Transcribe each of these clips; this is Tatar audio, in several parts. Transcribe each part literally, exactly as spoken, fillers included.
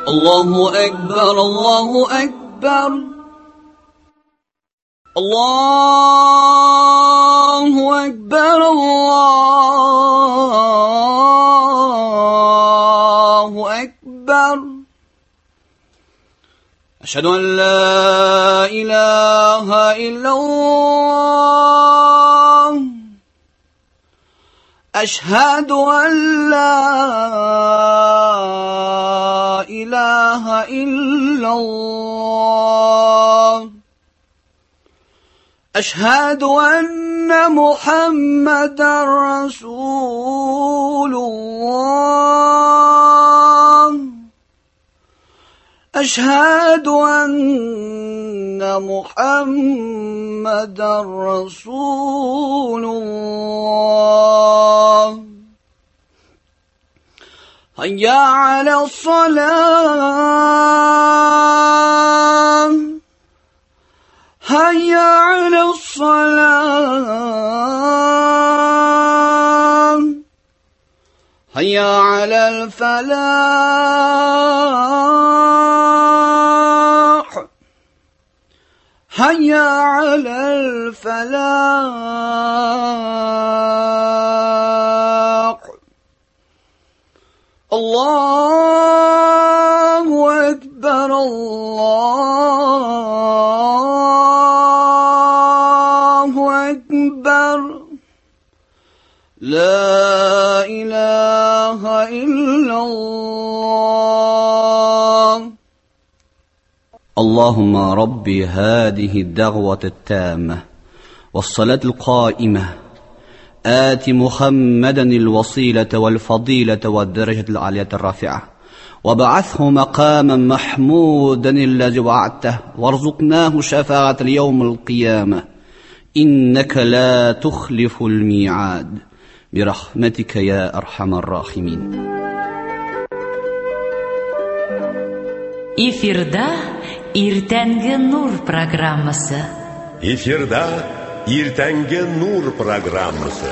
الله أكبر الله أكبر الله أكبر الله أكبر أشهد أن لا إله إلا الله أشهد أن لا إله إلا الله أشهد أن محمدا رسول الله أشهد أن محمدا رسول الله هيا على الصلاة هيا على الصلاة هيا على الفلاح هيا على الفلاح الله أكبر الله أكبر لا إله إلا الله اللهم ربي هذه الدعوة التامة والصلاة القائمة آت محمدا الوسيلة والفضيلة والدرجة العالية الرافعة وابعثه مقاما محمودا الذي وعدته وارزقناه شفاعة اليوم القيامة إنك لا تخلف الميعاد برحمتك يا أرحم الراحمين. Эфирда Иртәнге нур программасы. Эфирда Иртәнге нур программасы.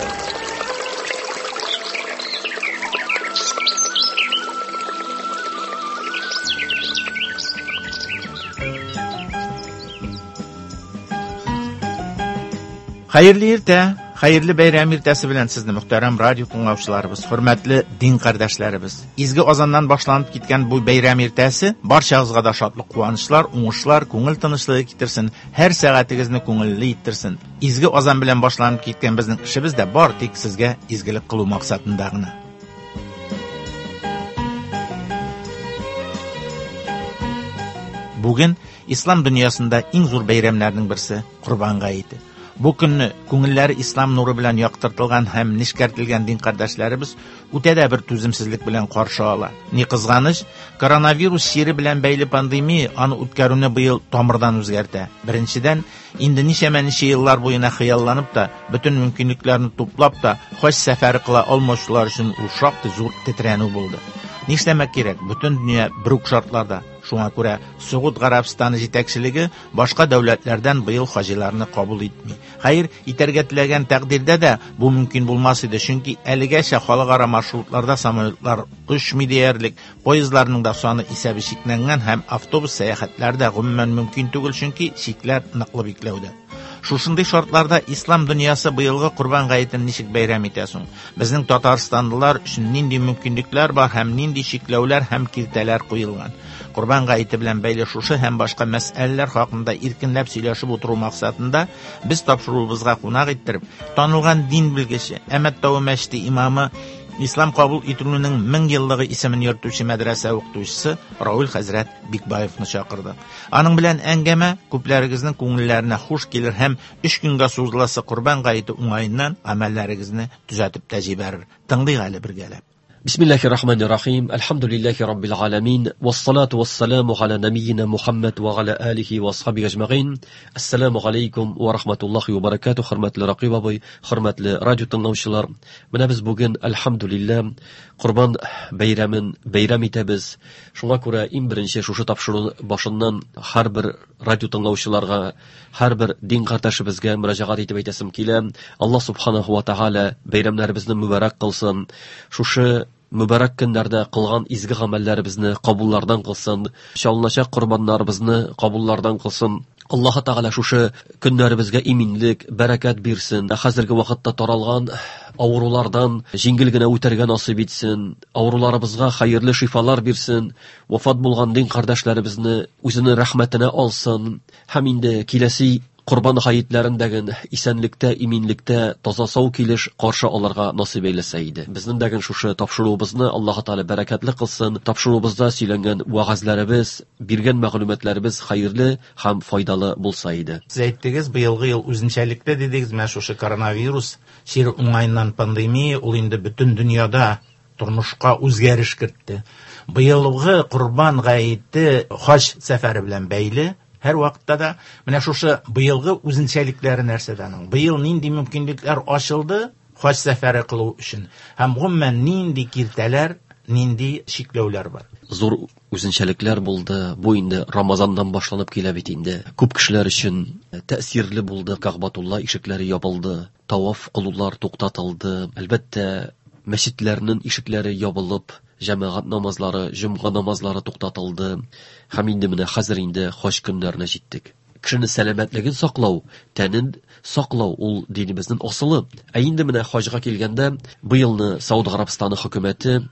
Хәерле иртә, хәерле бәйрәм иртәсе белән сезне мөхтәрәм радио тыңлаучыларыбыз, хөрмәтле дин кардәшләребез. Изге азаннан башланып киткән бу бәйрәм иртәсе барчагызга да шатлык, куанычлар, уңышлар, күңел тынычлыгы китерсен, һәр сәгатегезне күңелле иттерсен. Изге азан белән башланып киткән безнең эшебез дә бар тик сезгә изгелек кылу максатында гына. Бүген ислам дөньясында иң зур бәйрәмнәрнең берсе Корбан гаете. Бу көнне күңелләре ислам нуры белән яктыртылган һәм нечкәртелгән дин кардәшләребез үтә дә бер түземсезлек белән каршы ала. Ни кызганыч, коронавирус чире белән бәйле пандемия аны үткәрүне быел тамырдан үзгәртә. Беренчедән, инде ничәмә-ничә еллар буена хыялланып та, бөтен мөмкинлекләрне туплап та, хаҗ сәфәре кыла алмаучылар өчен ул шактый зур тетрәнү булды. Нишләмәк кирәк, бөтен дөнья бер үк шартларда. Шуңа күрә Согуд Гарәбстаны җитәкчелеге башка дәүләтләрдән быел хаҗиларны кабул итми. Хәер, итәргә теләгән тәкъдирдә дә бу мөмкин булмас иде, чөнки әлегәчә халыкара маршрутларда самолетлар очмый диярлек, поездларның да саны исәбе чикләнгән һәм автобус сәяхәтләре дә гомумән мөмкин түгел, чөнки чикләр ныклы бикләүдә. Шушындый шартларда ислам дөньясы быелгы Корбан гаетен ничек бәйрәм итә соң? Безнең татарстанлылар өчен нинди мөмкинлекләр бар һәм нинди чикләүләр һәм киртәләр куелган? Корбан гаете белән бәйле шушы һәм башка мәсьәләләр хакында иркенләп сөйләшеп утыру максатында без тапшыруыбызга кунак иттереп, танылган дин белгече, Әмәт тавы мәчете имамы, Ислам кабул ителүнең мең еллыгы исемен йөртүче мәдрәсә укытучысы Равил хәзрәт Бикбаевны чакырдык. Аның белән әңгәмә күпләрегезнең күңелләренә хуш килер һәм өч көнгә сузыласы Корбан гаете уңаеннан гамәлләрегезне төзәтеп тә җибәрер. Тыңлыйк әле бергәләп. بسم الله الرحمن الرحيم الحمد لله رب العالمين والصلاة والسلام على نبينا محمد وعلى آله وأصحابه أجمعين السلام عليكم ورحمة الله وبركاته Хөрмәтле Рақиб абый, хөрмәтле радио тыңлаучылар, менә без бүген әлхәмдүлилләһ Корбан бәйрәмен бәйрәм итәбез. Шуңа күрә иң беренче шушы тапшыру башыннан һәрбер радио тыңлаучыларга, һәрбер дин кардәшебезгә мөрәҗәгать итеп әйтәсем килә. Аллаһ субханаһу ва тааля бәйрәмнәребезне мөбарәк кылсын. Шушы Мөбарәк көннәрдә кылган изге гамәлләребезне кабуллардан кылсын, чалыначак корбаннарыбызны кабуллардан кылсын. Аллаһ Тәгалә шушы көннәребезгә иминлек, бәрәкәт бирсен. Хәзерге вакытта таралган авырулардан җиңел генә үтәргә насыйп итсен. Авыруларыбызга хәерле шифалар бирсен. Вафат булган дин кардәшләребезне үзенең рәхмәтенә алсын. Һәм инде киләсе Корбан гаетләрендәге исәнлектә, иминлектә, таза сау килеш каршы алырга насыйп әйләсә иде. Безнең дәген шушы тапшыруыбызны Аллаһ Тәгалә бәрәкәтле кылсын. Тапшыруыбызда сөйләнгән вәгазьләребез, биргән мәгълүматларыбыз хәерле һәм файдалы булса иде. Сез әйттегез, быелгы ел үзенчәлекле дидегез, менә шушы коронавирус чире уңаеннан пандемия, ул инде бөтен дөньяда тормышка үзгәреш кертте. Быелгы Корбан гаете хаҗ сәфәре белән бәйле. Һәр вакытта да менә шушы быелгы үзенчәлекләре нәрсәдән ул? Быел нинди мөмкинлекләр ачылды хаҗ сәфәре кылу өчен? Һәм гомумән нинди киртәләр, нинди чикләүләр бар? Зур үзенчәлекләр булды. Бу инде Рамазаннан башланып килә бит инде. Күп кешеләр өчен тәэсирле булды. Кәгъбәтулла ишекләре ябылды, таваф кылулар туктатылды. Әлбәттә, мәчетләрнең ишекләре ябылып, җәмәгать намазлары, җомга намазлары туктатылды. Һәм инде менә хәзер инде хаҗ көннәренә җиттек. Кешенең сәламәтлеген саклау, тәнен саклау ул динебезнең асылы. Ә инде менә хаҗга килгәндә, быелны Сауд Гарәбстаны хөкүмәте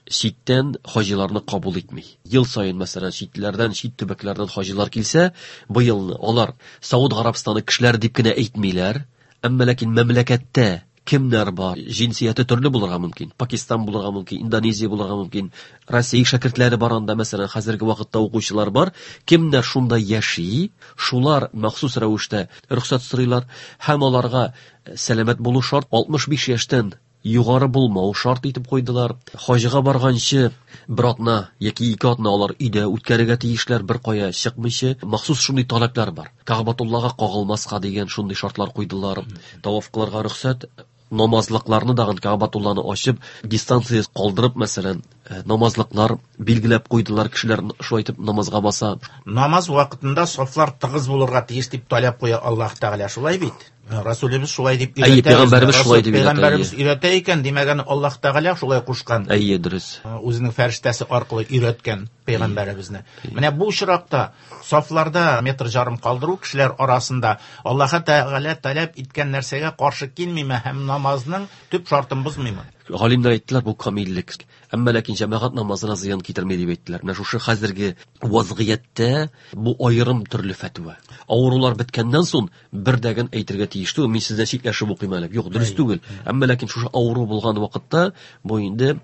читтән хаҗиларны кабул итми. Ел саен, мәсәлән, читләрдән, чит төбәкләрдән хаҗилар килсә, быелны алар Сауд Гарәбстаны кешеләре дип кенә әйтмиләр, әмма ләкин мәмләкәттә кемнәр бар? Җинсияте төрле булырга мөмкин. Пакистан булырга мөмкин, Индонезия булырга мөмкин. Россия шәкертләре бар анда, мәсәлән, хәзерге вакытта укучылар бар. Кемнәр шунда яши, шулар махсус рәвештә рөхсәт сорыйлар һәм аларга сәламәт булу шарт, алтмыш биш яшьтән югары булмау шарт итеп куйдылар. Хаҗга барганчы бер атна яки ике атна алар өйдә үткәрергә тиешләр, бер кая чыкмыйча. Махсус шундый таләпләр бар. Кәгъбәтуллага кагылмаска дигән шундый шартлар куйдылар. Таваф кылырга рөхсәт, намазлыкларны дагын Кәгъбәтулланы ачып, дистанция калдырып, мәсәлән, намазлыклар билгеләп куйдылар, кешеләр шулай итеп намазга баса. Намаз вакытында сафлар тыгыз булырга тиеш дип таләп куя Аллаһ Тәгалә, шулай бит? Расулыбыз шулай дип Әйе, өйрәтә. Пәйгамбәребез шулай дип өйрәтә, Пәйгамбәребез әйе. өйрәтә икән, димәк, аны Аллаһ Тәгалә шулай кушкан. Әйе, дөрес. Үзенең фәрештәсе аркылы өйрәткән пәйгамбәребезне. Менә бу очракта сафларда метр ярым калдыру кешеләр арасында Аллаһ Тәгалә таләп иткән нәрсәгә каршы килмиме һәм намазның төп шартын бозмыймы? Галимнәр әйттеләр, бу камиллек. Әмма ләкин җәмәгать намазына зыян китерми дип әйттеләр. Менә шушы хәзерге вазгыятьтә бу аерым төрле фәтва. Авырулар беткәннән соң бер дәген әйтергә тиеш түгел, мин сездән читләшеп укыйм әле. Юк, дөрес түгел. Әмма ләкин шушы авыру булган вакытта бу инде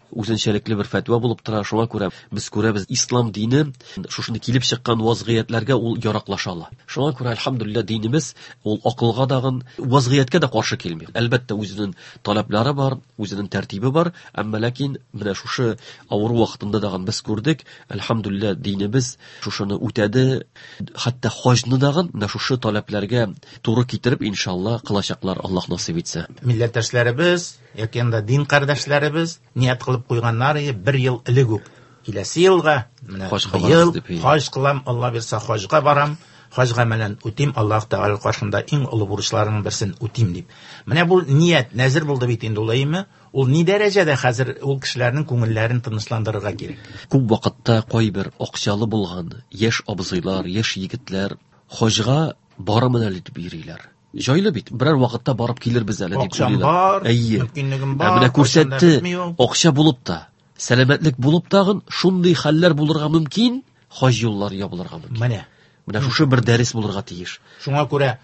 үзенчәлекле бер фәтва булып тора. Шуңа күрә без күрәбез, ислам дине шушында килеп чыккан вазгыятьләргә ул яраклаша ала. Шуңа күрә әлхәмдүлилләһ динебез ул акылга дагын, вазгыятькә дә каршы килми. Әлбәттә, үзенең таләпләре бар, үзенең тәртибе бар, әмма ләкин менә шушы авыру вакытында дагын без күрдек, әлхәмдүлилләһ динебез шушыны үтәде. Хәтта хаҗны дагын менә шушы таләпләргә туры китереп иншалла кылачаклар, Аллаһ насыйп итсә. Милләттәшләребез яки инде дин кардәшләребез ният кылып куйганнар иде бер ел элек үк. Киләсе елга менә Хаҗга быел барабыз дип, әйе. хаҗ кылам, Алла бирсә хаҗга барам, хаҗ гамәлен үтим, Аллаһ Тәгалә каршында иң олы бурычларының берсен үтим дип. Менә бу ният нәзер булды бит инде ул, әйеме? Ул ни дәрәҗәдә хәзер ул кешеләрнең күңелләрен тынычландырырга кирәк? Күп вакытта кайбер акчалы булган яшь абзыйлар, яшь егетләр хаҗга барамын әле дип йөриләр. Җайлы бит, берәр вакытта барып килербез әле дип Акчам уйлыйлар. бар, Әйе. мөмкинлегем Ә бар, менә кайчан да күрсәтте, бетми ул. акча булып та, сәламәтлек булып тагын шундый хәлләр булырга мөмкин, хаҗ юллары ябылырга мөмкин. Менә. Менә шушы бер дәрес булырга тиеш. Шуңа күрә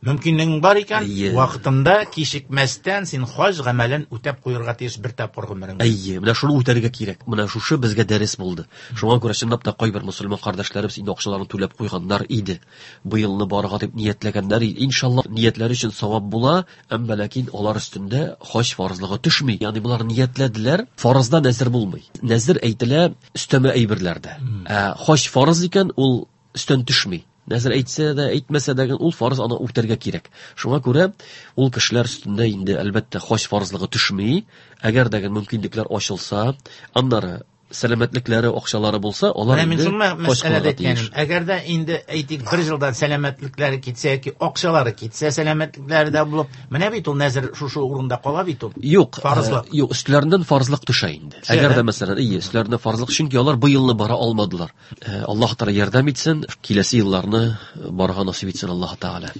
мөмкинлегең бар икән, Әйе. вакытында кичекмәстән син хаҗ гамәлен үтәп куярга тиеш бер тапкыр гомереңдә. Әйе, менә шуны үтәргә кирәк. Менә шушы безгә дәрес булды. Шуңа күрә чынлап та кайбер мөселман кардәшләребез инде акчаларын түләп куйганнар иде. Быелны барырга дип ниятләгәннәр иде. Иншалла, ниятләре өчен савап була, әмма ләкин алар өстендә хаҗ фарызлыгы төшми. Ягъни булар ниятләделәр, фарызда нәзер булмый. Нәзер әйтелә өстәмә әйберләрдә. Ә хаҗ фарыз икән, ул өстән төшми. Нәзер әйтсә дә, әйтмәсә дә, ул фарыз, аны үтәргә кирәк. Шуңа күрә ул кешеләр өстендә инде әлбәттә хаҗ фарызлыгы төшми. Әгәр дә мөмкинлекләр ачылса, аннары сәламәтлекләре, акчалары булса, алар инде хаҗ кылырга тиеш. Әгәр дә инде әйтик бер елдан сәламәтлекләре китсә яки акчалары китсә, сәламәтлекләре дә булып, менә бит ул нәзер шушы урында кала бит ул. Юк, фарызлык. Юк, өстләреннән фарызлык төшә инде. Әгәр дә мәсәлән, ие, өстләреннән фарызлык, чөнки алар бу елны бара алмадылар. Аллаһ Тәгалә ярдәм итсен, киләсе елларны барырга насыйп итсен Аллаһ Тәгалә.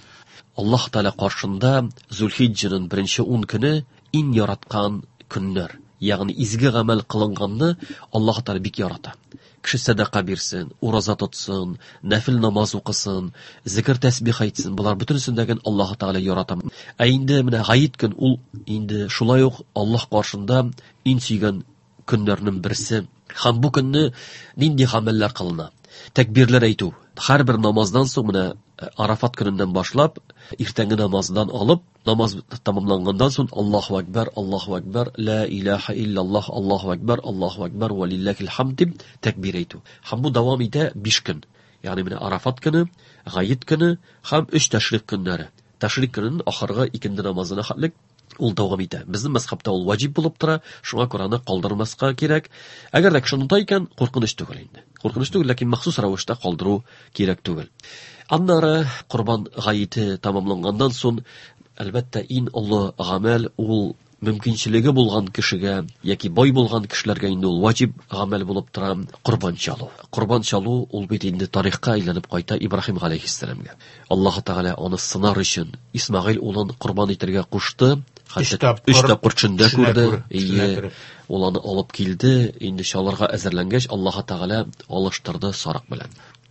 Аллаһ Тәгалә каршында Зулхиҗҗәнең беренче ун көне иң яраткан көннәр. Ягъни изге гамәл кылынганны Аллаһ Тәгалә бик ярата. Кеше сәдака бирсен, ураза тотсын, нәфил намаз укысын, зикр тәсбих әйтсен, болар бөтенесен Аллаһ Тәгалә ярата. Ә инде менә гает көн ул инде шулай ук Аллаһ каршында иң сөйгән көннәрнең берсе. Һәм бу көнне нинди гамәлләр кылына? Тәкбирләр әйтү. Һәрбер намаздан соң менә Арафат көненнән башлап, иртәнге намаздан алып, намаз тәмамланганнан соң Аллаһу акбар, Аллаһу акбар, ла илаһа иллаллаһ, Аллаһу акбар, Аллаһу акбар ва лиллахил хамд дип тәкбир әйтү. Һәм бу дәвам итә биш көн. Ягъни менә Арафат көне, Гает көне һәм өч тәшрик көннәре. Тәшрик көненең ахыргы икенде намазына хәтлек ул дәвам итә. Безнең мәзһәбтә ул ваҗиб булып тора, шуңа күрә аны калдырмаска кирәк. Әгәр дә кеше оныта икән, куркыныч түгел инде. Куркыныч түгел, ләкин махсус рәвештә калдыру кирәк түгел. Аннары Корбан гаете тәмамланганнан соң, әлбәттә, иң олы гамәл ул мөмкинчелеге булган кешегә яки бай булган кешеләргә инде ул ваҗиб гамәл булып тора корбан чалу. Корбан чалу ул бит инде тарихка әйләнеп кайта Ибраһим галәйһиссәламгә. Аллаһ Тәгалә аны сынар өчен Исмагыйл улын корбан итәргә кушты. Хәтта өч тапкыр төшендә күрде. Ие, ул аны алып килде. Инде чалырга әзерләнгәч, Аллаһ Тәгалә алыштырды сарык белән.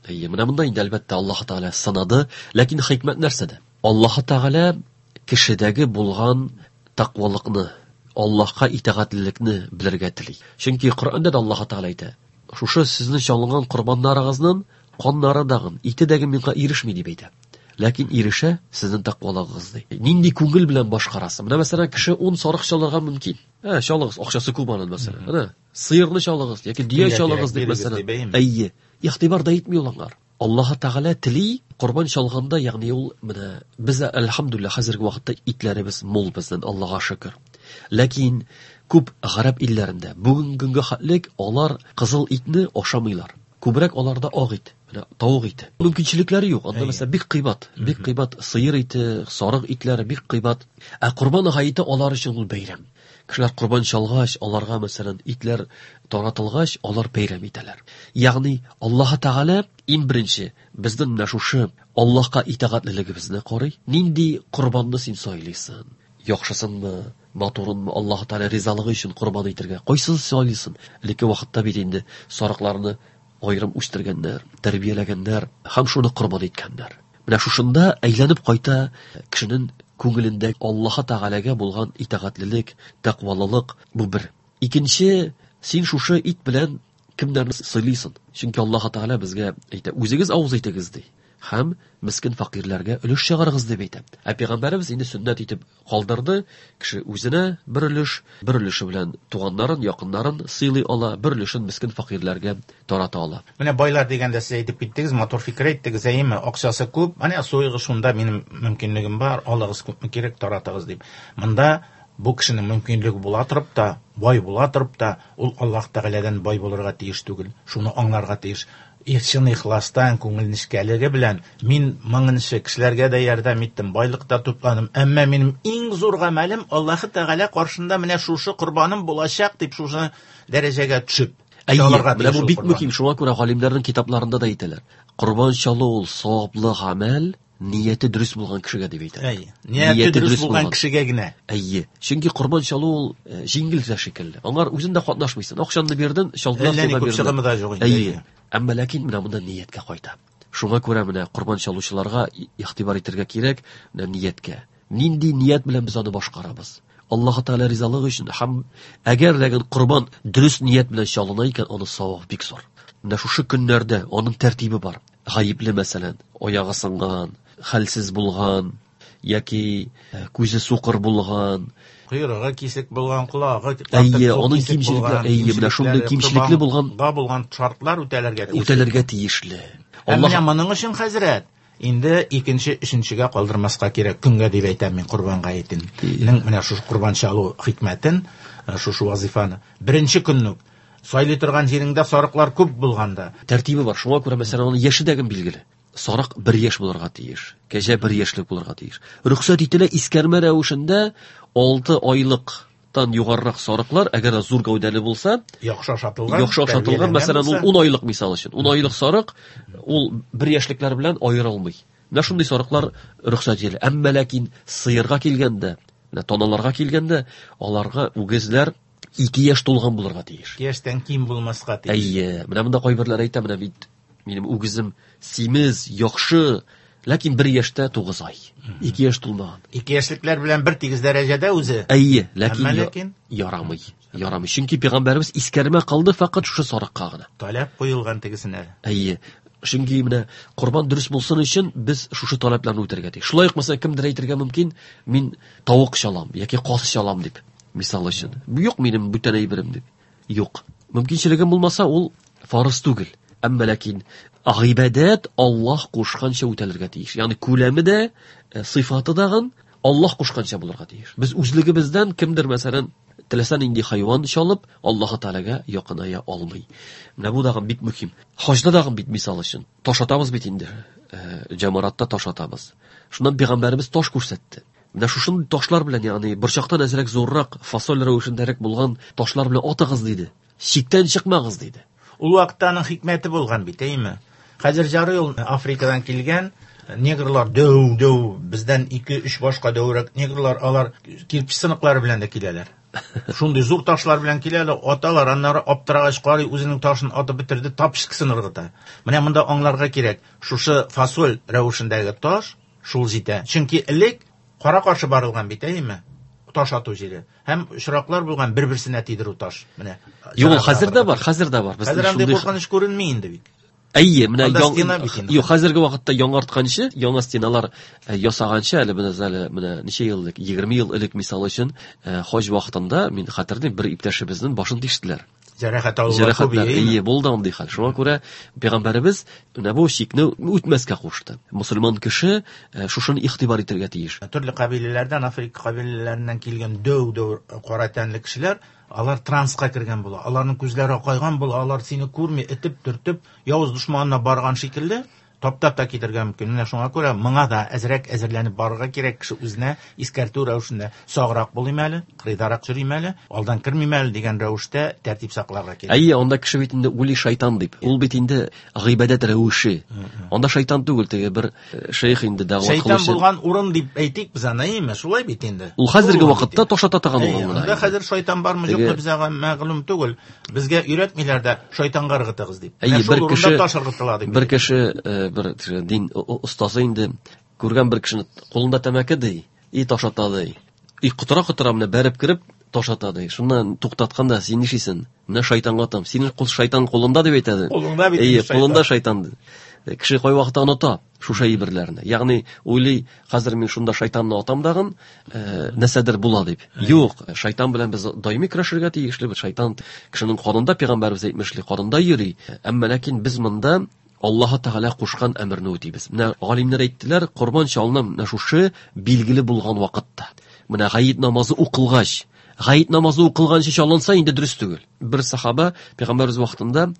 Ие, менә монда инде әлбәттә Аллаһ Тәгалә сынады, ләкин хикмәт нәрсәдә? Аллаһ Тәгалә кешедәге булган тәкъвалыкны, Аллаһка итагатьлелекне белергә тели. Чөнки Коръәндә дә Аллаһ Тәгалә әйтә: "Шушы сезнең чалынган корбаннарыгызның каннары дагын, ите дәге миңа ирешми" дип әйтә. Ләкин ирешә сезнең тәкъвалыгыгыз ди. Нинди күңел белән башкарасың? Менә мәсәлән, кеше ун сарык чалырга мөмкин. Ә, чалыгыз, акчасы күп аның мәсәлән. Әнә, сыерны чалыгыз яки дөя чалыгыз дип мәсәлән. Әйе, игътибар да итми ул аңар. Аллаһ Тәгалә тели корбан чалганда, ягъни ул менә без әлхәмдүлилләһ хәзерге вакытта итләребез мул безнең, Аллаһка шөкер. Ләкин күп гарәп илләрендә бүгенге көнгә хәтлек алар кызыл итне ашамыйлар. Күбрәк аларда ак ит, менә тавык ите. Мөмкинчелекләре юк. Анда мәсәлән бик кыйбат, бик кыйбат сыер ите, сарык итләре бик кыйбат. Ә корбан гаете алар өчен ул бәйрәм. Кешеләр корбан чалгач, аларга мәсәлән итләр таратылгач, алар бәйрәм итәләр. Ягъни Аллаһ Тәгалә иң беренче безнең менә шушы Аллаһка итагатьлелегебезне карый. Нинди корбанны син сайлыйсың? Яхшысынмы, матурынмы? Аллаһ Тәгалә ризалыгы өчен корбан итәргә кайсын сайлыйсың? Элекке вакытта бит инде сарыкларны аерым үстергәннәр, тәрбияләгәннәр һәм шуны корбан иткәннәр. Менә шушында әйләнеп кайта кешенең күңелендә Аллаһ Тәгаләгә булган итагатьлелек, тәкъвалылык бу бер. Икенче, син шушы ит белән кемнәрне сыйлыйсың? Чөнки Аллаһ Тәгалә безгә әйтә: "Үзегез авыз итегез" ди. Һәм мискин фәкыйрьләргә өлеш чыгарыгыз дип әйтә. Ә пәйгамбәребез инде сөннәт итеп калдырды, кеше үзенә бер өлеш, бер өлеше белән туганнарын, якыннарын сыйлый ала, бер өлешен мискин фәкыйрьләргә тарата ала. Менә байлар дигәндә сез әйтеп киттегез, матур фикер әйттегез, әйеме? Акчасы күп, менә суйгы шунда минем мөмкинлегем бар, алыгыз күпме кирәк, таратыгыз дип. Монда бу кешенең мөмкинлеге була торып та, бай була торып та, ул Аллаһ Тәгаләдән бай булырга тиеш түгел, шуны аңларга тиеш. Чын ихластан, күңел нечкәлеге белән мин моңынчы кешеләргә дә ярдәм иттем, байлык та тупладым, әмма минем иң зур гамәлем Аллаһ Тәгалә каршында менә шушы корбаным булачак дип шушы дәрәҗәгә төшеп. Әйе, менә бу бик мөһим, шуңа күрә галимнәрнең китапларында да әйтәләр. Корбан чалу ул саваплы гамәл, нияте дөрес булган кешегә дип әйтәләр. Әйе, нияте дөрес булган кешегә генә. Әйе, чөнки корбан чалу ул җиңел дә шикелле. Аңар үзен дә катнашмыйсың. Акчаңны бирдең, чалдылар, сиңа бирделәр. Әйе. Әмма ләкин менә монда нияткә кайта. Шуңа күрә менә корбан чалучыларга игътибар итәргә кирәк, менә нияткә. Нинди ният белән без аны башкарабыз? Аллаһ Тәгалә ризалыгы өчен һәм әгәр ләкин корбан дөрес ният белән чалына икән, аны савап бик зур. Менә шушы көннәрдә аның тәртибе бар. Гаепле мәсәлән, аягы сынган, хәлсез булган, яки күзе сукыр булган, койрыгы кисек булган, колагы әйе, аның кимчелекләре, әйе, менә шундый кимчелекле булган булган шартлар үтәләргә тиешле. Үтәләргә тиешле. Аллаһ менә моның өчен хәзрәт инде икенче, өченчегә калдырмаска кирәк. Көнгә дип әйтәм мин корбан гаетен. Менә шушы корбан чалу хикмәтен, шушы вазифаны беренче көнне үк Сайлый торган җиреңдә сарыклар күп булганда. Тәртибе бар. Шуңа күрә, мәсәлән, аның яше дә билгеле. Сарык бер яшь булырга тиеш, кәҗә бер яшьлек булырга тиеш. Рөхсәт ителә искәрмә рәвешендә алты айлыктан югарырак сарыклар, әгәр дә зур гәүдәле булса, яхшы ашатылган, яхшы ашатылган, мәсәлән, ул ун айлык мисал өчен, ун айлык сарык ул бер яшьлекләр белән аерылмый. Менә шундый сарыклар рөхсәт ителә. Әмма ләкин сыерга килгәндә, менә таналарга килгәндә, аларга үгезләр ике яшь тулган булырга тиеш. Ике яшьтән ким булмаска тиеш. Әйе, менә монда кайберләр әйтә, менә бит минем үгезем симез, яхшы, ләкин бер яшьтә тугыз ай. Ике яшь тулмаган. Ике яшьлекләр белән бер тигез дәрәҗәдә үзе. Әйе, ләкин ярамый. Ярамый. Чөнки пәйгамбәребез искәрмә кылды фақат шушы сарыкка гына. Таләп куелган тегесенә. Әйе. Чөнки менә корбан дөрес булсын өчен без шушы таләпләрне үтәргә тиеш. Шулай ук мәсәлән кемдер әйтергә мөмкин, мин тавык чалам яки каз чалам дип, мисал өчен. Юк минем бүтән әйберем дип. Юк. Мөмкинчелегем булмаса, ул фарыз түгел. Әмма ләкин гыйбадәт Аллаһ кушканча үтәлергә тиеш. Ягъни күләме дә, сыйфаты дагын Аллаһ кушканча булырга тиеш. Без үзлегебездән кемдер мәсәлән теләсә нинди хайван чалып Аллаһ Тәгаләгә якыная алмый. Менә бу дагын бик мөһим. Хаҗда дагын бит мисал өчен таш атабыз бит инде. Җамаратта таш атабыз. Шуннан пәйгамбәребез таш күрсәтте. Менә шушындый ташлар белән, ягъни борчактан әзрәк зуррак, фасоль рәвешендәрәк булган ташлар белән атыгыз диде. Чиктән чыкмагыз диде. Ул вакытта аның хикмәте булган бит, әйме? Хәзер ярый ул Африкадан килгән негрлар дәү-дәү, бездән ике-өч башка дәүрәк негрлар, алар кирпеч сыныклары белән дә киләләр. Шундый зур ташлар белән киләләр, аталар, аннары аптырагач карый, үзенең ташын атып бетерде, тапшыксын ыргыта. Менә монда аңларга кирәк, шушы фасоль рәвешендәге таш шул җитә. Чөнки элек кара-каршы барылган бит, әйме? Таш ату җире. Һәм очраклар булган бер-берсенә тидерү таш. Менә. Юк, хәзер дә бар, хәзер дә бар. Хәзер андый куркыныч күренми инде бит. Әйе, менә юк, хәзерге вакытта яңартканчы, яңа стеналар ясаганчы, әле менә әле менә ничә ел элек, егерме ел элек мисал өчен, хаҗ вакытында мин хәтерлим, бер иптәшебезнең башын тиштеләр. Җәрәхәт алулар күп, әйе, булды андый хәл. Шуңа күрә пәйгамбәребез менә бу чикне үтмәскә кушты. Мусульман кеше шушыны игътибар итәргә тиеш. Төрле кабиләләрдән, Африка кабиләләреннән килгән дәү-дәү кара тәнле кешеләр, алар транска кергән була. Аларның күзләре акайган була, алар сине күрми, этеп, төртеп, явыз дошманына барган шикелле таптап та китергә мөмкин. Менә шуңа күрә моңа да әзрәк әзерләнеп барырга кирәк. Кеше үзенә искәртү рәвешендә саграк булыйм әле, кырыйдарак йөрим әле, алдан кермим әле дигән рәвештә тәртип сакларга кирәк. Әйе, анда кеше бит инде ули шайтан дип. Ул бит инде гыйбадәт рәвеше. Анда шайтан түгел, теге бер шейх инде дәгъва кылучы. Шайтан булган урын дип әйтик без аны, әйеме? Шулай бит инде. Ул хәзерге вакытта ташата торган урын. Анда хәзер шайтан бармы, юкмы безгә мәгълүм түгел. Безгә өйрәтмиләр дә шайтанга ыргытыгыз дип. Әйе, бер кеше бер кеше бер дин остасы инде күргән бер кешене кулында тәмәке ди, и ташата ди. И котыра-котыра менә бәреп кереп ташата ди. Шуннан туктатканда син нишлисең? Менә шайтанга атам. Синең кул шайтан кулында дип әйтә. Кулыңда бит. Әйе, кулында шайтан. Кеше кай вакытта оныта шушы әйберләрне. Ягъни уйлый, хәзер мин шунда шайтанны атам дагын, нәрсәдер була дип. Юк, шайтан белән без даими көрәшергә тиешле. Шайтан кешенең канында, пәйгамбәребез әйтмешли, канында йөри. Әмма ләкин без монда Аллаһ Тәгалә кушкан әмерне үтибез. Менә галимнәр әйттеләр, корбан чалына менә шушы билгеле булган вакытта. Менә гает намазы укылгач, гает намазы укылганчы чалынса инде дөрес түгел. Бер сахаба пәйгамбәребез вакытында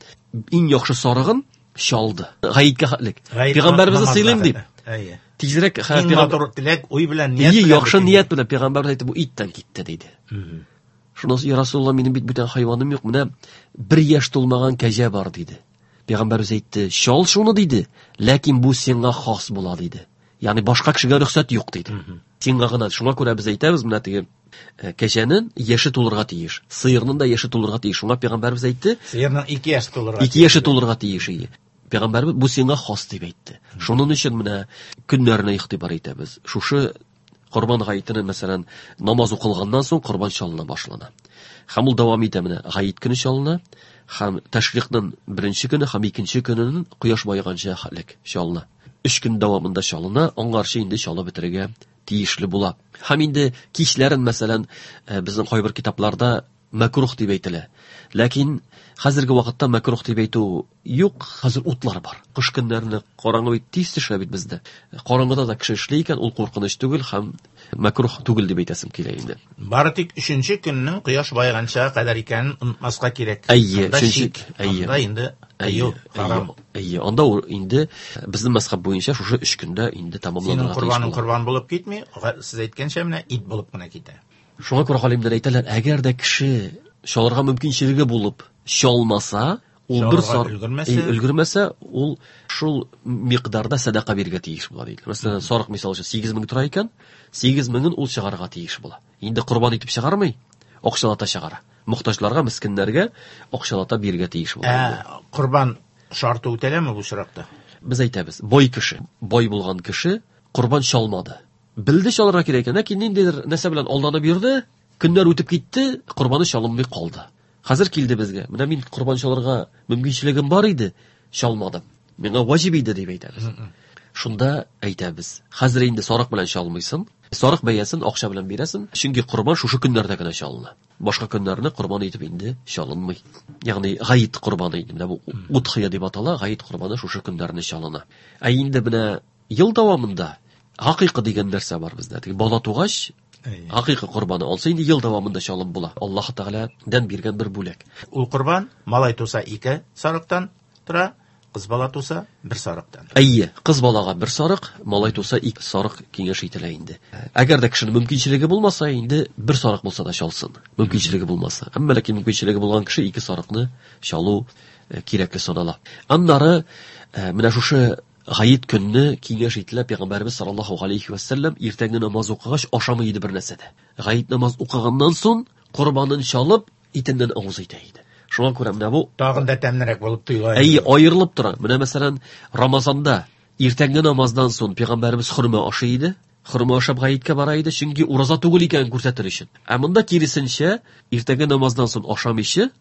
иң яхшы сарыгын чалды. Гаеткә хәтлек. Пәйгамбәребезне сыйлыйм дип. Әйе. Тизрәк матур теләк, уй белән, ният белән. Яхшы ният белән пәйгамбәребез әйтте, бу иттән китте диде. Шуннан соң, я Расулулла, минем бит бүтән хайваным юк, менә бер яшь тулмаган кәҗә бар диде. Пәйгамбәребез әйтте, чал шуны диде, ләкин бу сиңа хас була диде. Ягъни башка кешегә рөхсәт юк диде. Сиңа гына. Шуңа күрә без әйтәбез, менә теге кәҗәнең яше тулырга тиеш, сыерның да яше тулырга тиеш. Шуңа пәйгамбәребез әйтте, сыерның ике яше тулырга. Ике яше тулырга тиеш иде. Пәйгамбәребез бу сиңа хас дип әйтте. Шуның өчен менә көннәренә игътибар итәбез. Шушы Корбан гаетенә, мәсәлән, намаз укылганнан соң корбан чалына башлана. Һәм ул дәвам итә менә гает көне чалына, һәм тәшрикның беренче көне һәм икенче көненең кояш баеганча хәлек чалына. Өч көн дәвамында чалына, аңарчы инде чалып бетерергә тиешле була. Һәм инде кичләрен, мәсәлән, безнең кайбер китапларда мәкрух дип әйтелә. Ләкин хәзерге вакытта мәкрух дип әйтү юк, хәзер утлар бар. Кыш көннәрендә караңгы бит тиз төшә бит бездә. Караңгыда да кеше эшли икән, ул куркыныч түгел һәм мәкрух түгел дип әйтәсем килә инде. Бары тик өченче көннең кояш баеганча кадәр икәнен онытмаска кирәк. Әйе, өченче, әйе. Анда инде тыю, харам. Әйе, анда ул инде безнең мәзһәб буенча шушы өч көндә инде тәмамланырга тиеш. Синең корбаның корбан булып китми, сез әйткәнчә менә ит булып кына китә. Шуңа күрә галимнәр әйтәләр, әгәр дә кеше чалырга мөмкинчелеге булып чалмаса, ул бер сар өлгермәсә, ул шул микъдарда сәдака бирергә тиеш була диде. Мәсәлән, сарык мисал өчен сигез мең тора икән, сигез меңен ул чыгарырга тиеш була. Инде корбан итеп чыгармый, акчалата чыгара. Мохтаҗларга, мискиннәргә акчалата бирергә тиеш була. Ә корбан шарты үтәләме бу очракта? Без әйтәбез, бай кеше, бай булган кеше корбан чалмады. Белде чалырга кирәк икән, ләкин ниндидер нәрсә белән алданып йөрде, көннәр үтеп китте, корбаны чалынмый калды. Хәзер килде безгә. Менә мин корбан чалырга мөмкинчелегем бар иде, чалмадым. Миңа ваҗиб иде дип әйтәбез. Шунда әйтәбез, хәзер инде сарык белән чалмыйсың, сарык бәясен акча белән бирәсең, чөнки корбан шушы көннәрдә генә чалына. Башка көннәрне корбан итеп инде чалынмый. Ягъни гаит корбаны инде, менә бу удхия дип атала, гаит корбаны шушы көннәрне чалына. Ә инде менә ел дәвамында хакыйка дигән нәрсә бар бездә. Теге бала тугач, хакыйка корбаны алса инде ел дәвамында чалып була. Аллаһ Тәгаләдән биргән бер бүләк. Ул корбан малай туса ике сарыктан тора, кыз бала туса бер сарыктан. Әйе, кыз балага бер сарык, малай туса ике сарык киңәш ителә инде. Әгәр дә кешенең мөмкинчелеге булмаса, инде бер сарык булса да чалсын. Мөмкинчелеге булмаса. Әмма ләкин мөмкинчелеге булган кеше ике сарыкны чалу кирәкле санала. Аннары менә шушы гаит көнне киңәш ителә, Пәйгамбәребез саллаллаһу алейхи ва саллям иртәнге намаз укыгач ашамый иде бер нәрсә дә. Гаит намаз укыганнан соң корбанын чалып, итеннән авыз итә иде. Шуңа күрә менә бу тагын да тәмлерәк булып тоела. Әйе, аерылып тора. Менә мәсәлән, Рамазанда иртәнге намаздан соң Пәйгамбәребез хөрмә ашый иде. Хөрмә ашап гаеткә бара иде, чөнки ураза түгел икәнен күрсәтер өчен. Ә монда киресенчә, иртәнге намаздан соң ашамыйча,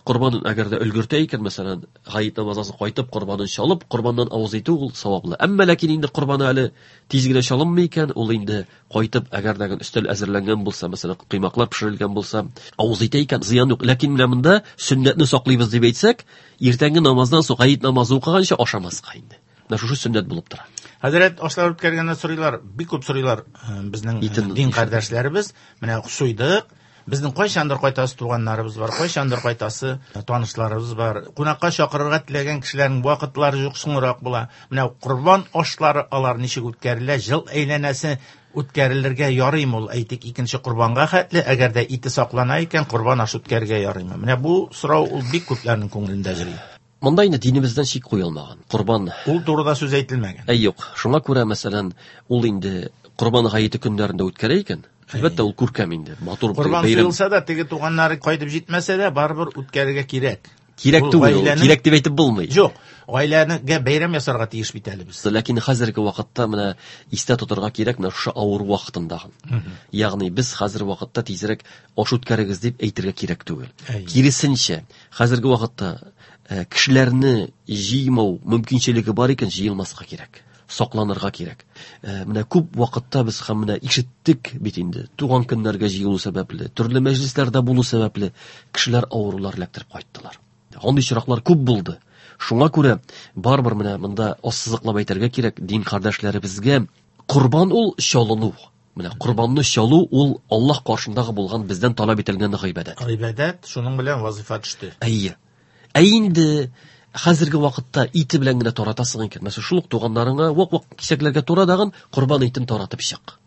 корбанын әгәр дә өлгертә икән, мәсәлән, гаит намаздан соң кайтып корбанын чалып, корбаннан авыз итү ул саваплы. Әмма ләкин инде корбаны әле тиз генә чалынмый икән, ул инде кайтып, әгәр дә өстәл әзерләнгән булса, мәсәлән, коймаклар пешерелгән булса, авыз итә икән, зыян юк. Ләкин менә монда сөннәтне саклыйбыз дип әйтсәк, иртәнге намаздан соң гаит намазы укыганча ашамаска инде. Менә шушы сөннәт булып тора. Хәзрәт, ашлар үткәргәндә сорыйлар, бик күп сорыйлар безнең дин кардәшләребез, менә суйдык, безнең кайчандыр кайтасы туганнарыбыз бар, кайчандыр кайтасы танышларыбыз бар. Кунакка чакырырга теләгән кешеләрнең вакытлары юк, соңрак була. Менә корбан ашлары алар ничек үткәрелә, ел әйләнәсе үткәрелергә ярыймы ул, әйтик, икенче корбанга хәтле, әгәр дә ите саклана икән, корбан ашы үткәрергә ярыймы? Менә бу сорау ул бик күпләрнең күңелендә йөри. Монда инде динебездән шик куелмаган. Корбан ул турыда сүз әйтелмәгән. Әй, юк. Шуңа күрә, мәсәлән, ул инде корбан гаете көннәрендә үткәрә икән, әлбәттә, ул күркәм инде, матур бәйрәм. Корбан суелса да, теге туганнары кайтып җитмәсә дә, барыбер үткәрергә кирәк. Кирәк түгел, кирәк дип әйтеп булмый. Юк, гаиләгә бәйрәм ясарга тиеш бит әле без. Ләкин хәзерге вакытта менә истә тотарга кирәк менә шушы авыр вакытында. Ягъни без хәзер вакытта тизрәк аш үткәрегез дип әйтергә кирәк түгел. Киресенчә, хәзерге вакытта кешеләрне җыймау мөмкинчелеге бар икән, җыелмаска кирәк. Сакланырга кирәк. Менә күп вакытта без һәм менә ишеттек бит инде, туган көннәргә җыелу сәбәпле, төрле мәҗлесләрдә булу сәбәпле кешеләр авырулар эләктереп кайттылар. Андый очраклар күп булды. Шуңа күрә барыбер менә монда ассызыклап әйтергә кирәк, дин кардәшләребезгә корбан ул чалыну. Менә корбанны чалу ул Аллаһ каршындагы булган бездән таләп ителгән гыйбадәт. Гыйбадәт, шуның белән вазифа төште. Әйе. Ә инде хәзерге вакытта ите белән генә таратасың икән, мәсәлән, шул ук туганнарыңа вак-вак кисәкләргә тура дагын корбан итен таратып чык.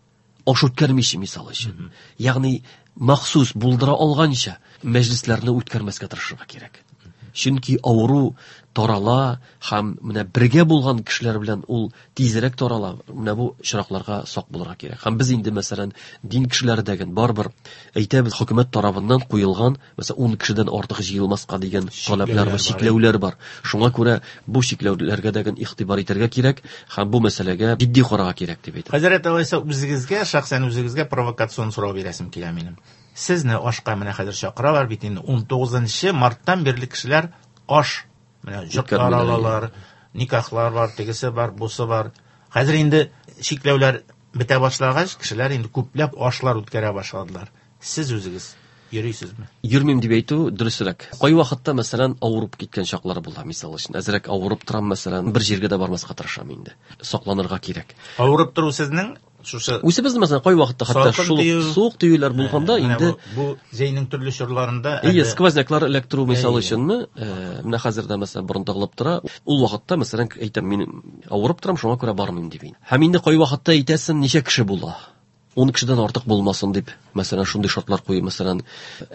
Аш үткәрмичә мисал өчен. Ягъни махсус булдыра алганча мәҗлесләрне үткәрмәскә тырышырга кирәк. Чөнки авыру тарала һәм менә бергә булган кешеләр белән ул тизрәк тарала. Менә бу очракларга сак булырга кирәк. Һәм без инде, мәсәлән, дин кешеләре дәген барыбер әйтәбез, хөкүмәт тарафыннан куелган, мәсәлән, ун кешедән артык җыелмаска дигән таләпләр бар, чикләүләр бар. Шуңа күрә бу чикләүләргә дәген игътибар итәргә кирәк һәм бу мәсьәләгә җитди карарга кирәк дип әйтәм. Хәзрәт, алайса үзегезгә, шәхсән үзегезгә провокацион сорау бирәсем килә минем. Сезне ашка менә хәзер чакыралар бит инде ун тугызынчы марттан бирле кешеләр аш менә йортлар алалар, никахлар бар, тегесе бар, бусы бар. Хәзер инде чикләүләр бетә башлагач, кешеләр инде күпләп ашлар үткәрә башладылар. Сез үзегез Йөрисезме? Йөрмим дип әйтү дөресрәк. Кайвакытта, мәсәлән, авырып киткән чаклар була, мисал өчен. Әзрәк авырып торам, мәсәлән, бер җиргә дә бармаска тырышам инде. Сакланырга кирәк. Авырып тору сезнең шушы Үзебез, мәсәлән, кайвакытта хәтта шул суык тиюләр булганда инде бу җәйнең төрле чорларында әйе, сквозняклар эләктерү мисал өченме, менә хәзер дә мәсәлән борын тыгылып тора. Ул вакытта, мәсәлән, әйтәм, мин авырып торам, шуңа күрә бармыйм дип. Һәм инде кайвакытта әйтәсең, ничә кеше була? Ун кешедән артык булмасын дип, мәсәлән, шундый шартлар куеп, мәсәлән,